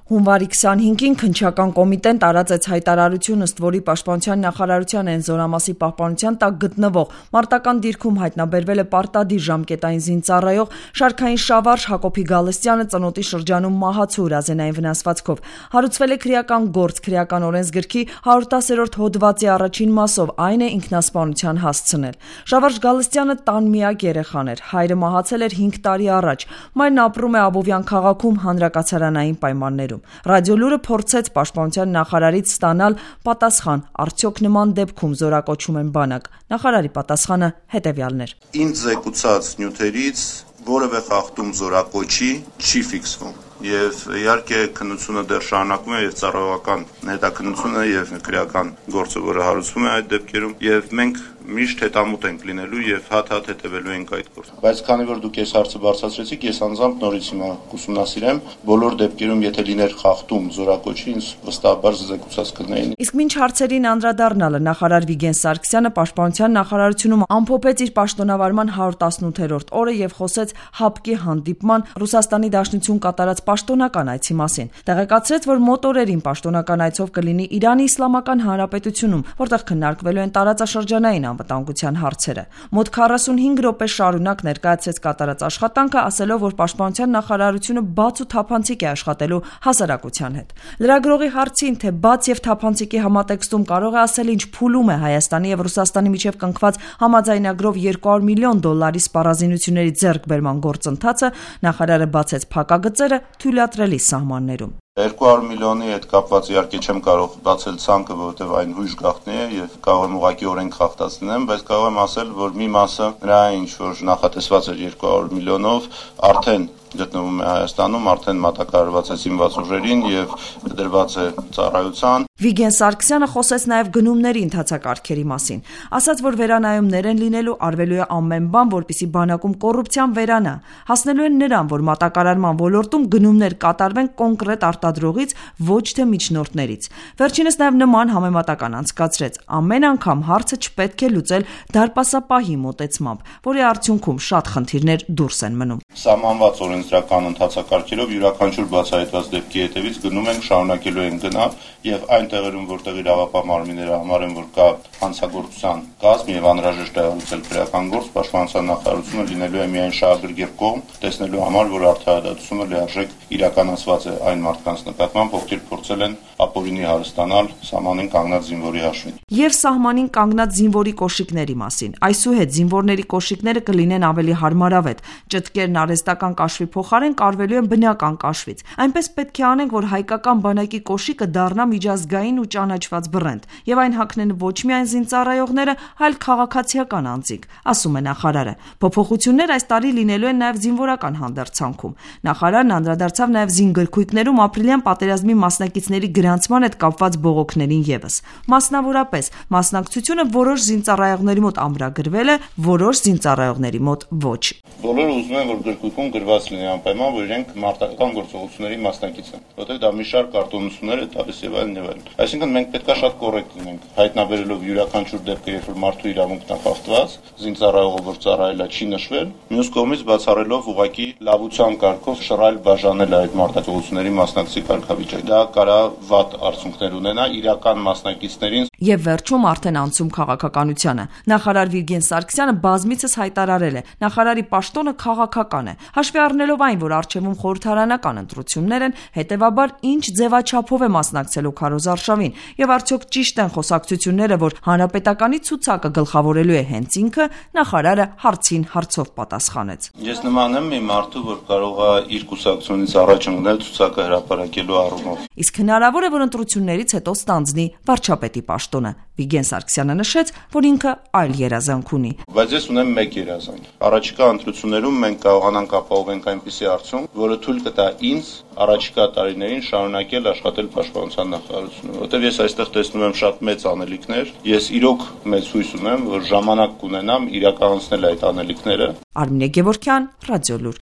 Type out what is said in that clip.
Հունվարի 25-ին քննչական կոմիտեն տարածեց հայտարարություն, ըստ որի Պաշտպանության նախարարության այն զորամասի պահպանության տակ գտնվող մարտական դիրքում հայտնաբերվել է պարտադիր ժամկետային զինծառայող շարքային շավարժ Հակոբի Գալստյանը ծնոտի շրջանում մահացու հրազենային վնասվածքով։ Հարուցվել է քրեական գործ քրեական օրենսգրքի 110-րդ հոդվածի առաջին մասով, այն է ինքնասպանության հասցնել։ Շավարժ Գալստյանը տան միակ երեխան էր, հայրը մահացել էր 5 տարի առաջ, մայրն ապրում է Աբովյան քաղաքում հանրակացարանային պայմաններում։ Ռադիոլուրը փորձեց Պաշտպանության նախարարից ստանալ պատասխան, արդյոք նման դեպքում զորակոչում են բանակ։ Նախարարի պատասխանը հետևյալն էր. Ինձ զեկուցած նյութերից որևէ խախտում զորակոչի չի ֆիքսվում։ Եվ իհարկե քննությունը դեռ շարունակվում է եւ ծառայողական հետաքննությունը եւ քրեական գործը, որը հարուցվում է այդ դեպքերում, եւ մենք միշտ հետամուտ ենք լինելու եւ հատ-հատ հետևելու ենք այդ գործին։ Բայց քանի որ դուք այս հարցը բարձրացրեցիք, ես անձամբ նորից հիմա կուսումնասիրեմ բոլոր դեպքերում, եթե լիներ խախտում զորակոչի, ինձ վստահաբար զեկուցած կլինեին։ Իսկ մինչ հարցերին անդրադառնալը նախարար Վիգեն Սարգսյանը Պաշտպանության նախարարությունում ամփոփեց իր պաշտոնավարման 118-րդ օրը եւ խոսեց ՀԱՊԿ-ի հանդիպման Ռուսաստանի Դաշնություն կատարած պաշտոնական այցի մասին։ Տեղեկացրեց, որ մոտ օրերին պաշտոնական այցով կլինի Իրանի Իսլամական Հանրապետությունում, որտեղ քննարկվելու են տարածաշրջանային անվտանգության հարցերը։ Մոտ 45 րոպե շարունակ ներկայացրեց կատարած աշխատանքը, ասելով, որ Պաշտպանության նախարարությունը բաց ու թափանցիկ է աշխատելու հասարակության հետ։ Լրագրողի հարցին, թե բաց եւ թափանցիկի համատեքստում կարող է ասել ինչ փուլում է Հայաստանի եւ Ռուսաստանի միջև կնքված համաձայնագրով $200 միլիոն սպառազինությունների ձեռքբերման գործընթացը, նախարարը բացեց փակագծերը թույլատրելի սահմաններում։ 200 միլիոնի հետ կապված իհարկե չեմ կարող բացել ցանկը, որովհետև այն հույժ գաղտնի է եւ կարող եմ ուղղակի օրենք խախտած լինեմ, բայց կարող եմ ասել, որ մի մասը նրա ինչ որ նախատեսված էր 200 միլիոնով արդեն գտնվում է Հայաստանում, արդեն մատակարարված է զինված ուժերին եւ դրված է ծառայության։ Վիգեն Սարգսյանը խոսեց նաև գնումների ընթացակարգերի մասին, ասաց, որ վերանայումներ են լինելու, արվելու է ամեն բան, որպեսզի բանակում կոռուպցիան վերանա, հասնելու են նրան, որ մատակարարման ոլորտում գնումներ կատարվեն կոնկրետ արտադրողից, ոչ թե միջնորդներից։ Վերջինս նաև նման համեմատական անցկացրեց. ամեն անգամ հարցը չպետք է լուծել դարպասապահի մոտեցմամբ, որի արդյունքում շատ խնդիրներ դուրս են մնում։ Սահմանված օրենսդրական ընթացակարգերով յուրաքանչյուր բացահայտված դեպքի հետևից գնում ենք, շարունակելու ենք գնալ եւ այն տեղերում, որտեղ իրավապահ մարմինները համարեն, որ կա հանցագործության կազմ եւ անհրաժեշտ է հարուցել քրեական գործ, Պաշտպանության նախարարությունը լինելու է միայն շահագրգիռ կողմ, տեսնելու համար, որ արդարադատությունը լիարժեք իրականացված է այն մարդկանց նկատմամբ, ովքեր փորձել են ապօրինի հարստանալ սահմանին կանգնած զինվորի հաշվին։ Եվ սահմանին կանգնած զինվորի կոշիկների մասին։ Այսուհետ զինվորների կոշիկները կլինեն ավելի հարմարավետ։ Ճտկերն արհեստական կաշվի փոխարեն կարվելու են բնական կաշվից։ Այնպես պետք է անենք, որ հայկական բանակի կոշիկը դառնա միջազգային ու ճանաչված բռենդ, եւ այն հագնեն ոչ միայն զինծառայողները, այլ քաղաքացիական անձինք, ասում է նախարարը։ Փոփոխություններ այս տարի լինելու են նաեւ զինվորական հանդերձանքում։ Նախարարն անդրադարձավ նաեւ զինգրքույկներում ապրիլյան պատերազմի մասնակիցների գրանցման հետ կապված բողոքներին եւս։ Մասնավորապես, մասնակցությունը որոշ զինծառայողների մոտ ամրագրվել է, որոշ զինծառայողների մոտ ոչ։ Բոլորը ուզում են, որ գրքույկում գրված լինի անպայման, որ իրենք մարտական գործողությունների մասնակից են, որտեղ դա մի շարք արտոնություններ է տալիս եւ այլն եւ այլն։ Այսինքն մենք պետք է շատ կոռեկտ լինենք, հայտնաբերելով յուրաքանչյուր դեպքը, երբ որ մարդու իրավունքն է խախտված, զինծառայողը որ ծառայելա չի նշվել, մյուս կողմից բացառելով ուղղակի լավության կարգով շռայլ բաժանել այդ մարտակցությունների մասնակցի կարգավիճակ։ Դա կարա վատ արդյունքներ ունենա իրական մասնակիցներին։ Եվ վերջում արդեն անցում քաղաքականությանը։ Նախարար Վիգեն Սարգսյանը բազմիցս հայտարարել է. նախարարի պաշտոնը քաղաքական է։ Հաշվի առնելով այն, որ առջևում խորհրդարանական ընտրություններ են, հետևաբար ինչ ձևաչափով է մասնակցելու քարոզարշավին, եւ արդյոք ճիշտ են խոսակցությունները, որ հանրապետականի ցուցակը գլխավորելու է հենց ինքը, նախարարը հարցին հարցով պատասխանեց։ Ես նման եմ մի մարդու, որ կարող է իր կուսակցությունից առաջ ընկնել ցուցակը հրապարակելու առումով։ Իսկ հնարավոր է, որ ընտրություններից հետո ստանձնի վարչապետի պաշտոնը։ Վիգեն Սարգսյանը նշեց, որ ինքը այլ երազանք ունի։ Բայց ես ունեմ մեկ երազանք։ Առաջիկա ընտրություններում մենք կարողանանք ապահովենք այնպիսի արդյունք, որը թույլ կտա ինձ առաջիկա տարիներին շարունակել աշխատել Պաշտպանության նախարարությունում, որտեղ ես այստեղ տեսնում եմ շատ մեծ անելիքներ։ Ես իրոք մեծ հույս ունեմ, որ ժամանակ կունենամ իրականացնել այդ անելիքները։ Արմինե Գևորգյան, Ռադիոլուր։